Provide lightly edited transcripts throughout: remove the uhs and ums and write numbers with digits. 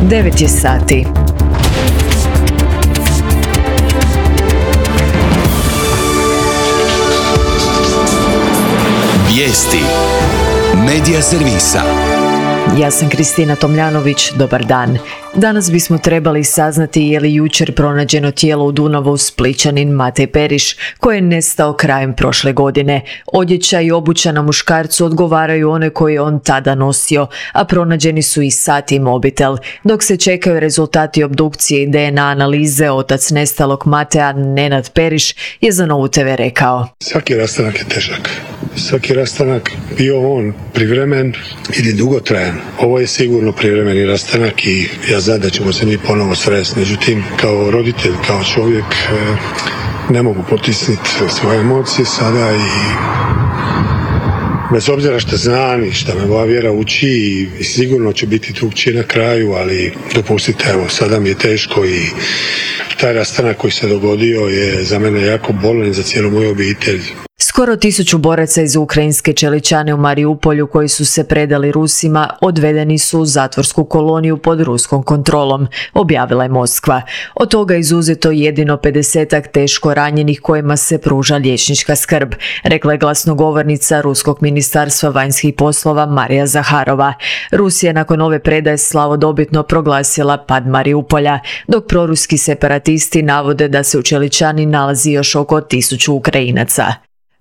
9 je sati. Vijesti Medija servisa. Ja sam Kristina Tomljanović, dobar dan. Danas bismo trebali saznati je li jučer pronađeno tijelo u Dunavu Splićanin Matej Periš, koji je nestao krajem prošle godine. Odjeća i obuća na muškarcu odgovaraju one koje je on tada nosio, a pronađeni su i sat i mobitel. Dok se čekaju rezultati obdukcije i DNA analize, otac nestalog Mateja, Nenad Periš, je za Novu TV rekao: Svaki rastanak je težak. Svaki rastanak, bio on privremen ili dugotrajan. Ovo je sigurno privremeni rastanak i ja znam da ćemo se mi ponovo sresti. Međutim, kao roditelj, kao čovjek, ne mogu potisniti svoje emocije sada i bez obzira što znam i što me moja vjera uči i sigurno će biti drugčije na kraju, ali dopustite, evo, sada mi je teško i taj rastanak koji se dogodio je za mene jako bolan za cijelu moju obitelj. Skoro 1000 boraca iz ukrajinske Čeličane u Mariupolju koji su se predali Rusima odvedeni su u zatvorsku koloniju pod ruskom kontrolom, objavila je Moskva. Od toga izuzeto jedino 50-ak teško ranjenih kojima se pruža liječnička skrb, rekla je glasnogovornica Ruskog ministarstva vanjskih poslova Marija Zaharova. Rusija nakon ove predaje slavodobitno proglasila pad Mariupolja, dok proruski separatisti navode da se u Čeličani nalazi još oko 1000 Ukrajinaca.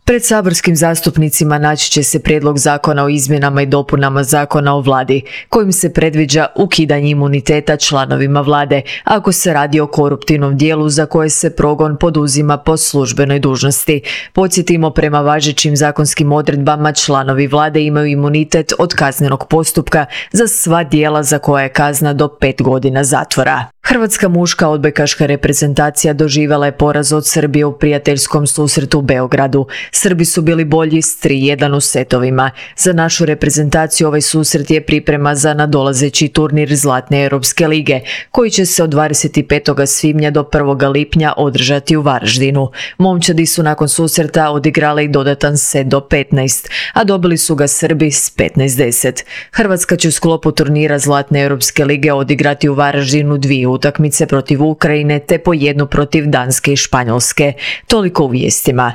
Pred saborskim zastupnicima naći će se prijedlog zakona o izmjenama i dopunama zakona o vladi, kojim se predviđa ukidanje imuniteta članovima vlade, ako se radi o koruptivnom dijelu za koje se progon poduzima po službenoj dužnosti. Podsjetimo, prema važećim zakonskim odredbama članovi vlade imaju imunitet od kaznenog postupka za sva djela za koja je kazna do 5 godina zatvora. Hrvatska muška odbojkaška reprezentacija doživjela je poraz od Srbije u prijateljskom susretu u Beogradu. Srbi su bili bolji s 3:1 u setovima. Za našu reprezentaciju ovaj susret je priprema za nadolazeći turnir Zlatne Europske lige, koji će se od 25. svibnja do 1. lipnja održati u Varaždinu. Momčadi su nakon susreta odigrale i dodatan set do 15, a dobili su ga Srbi s 15:10. Hrvatska će u sklopu turnira Zlatne Europske lige odigrati u Varaždinu 2 utakmice protiv Ukrajine te po 1 protiv Danske i Španjolske. Toliko u vijestima.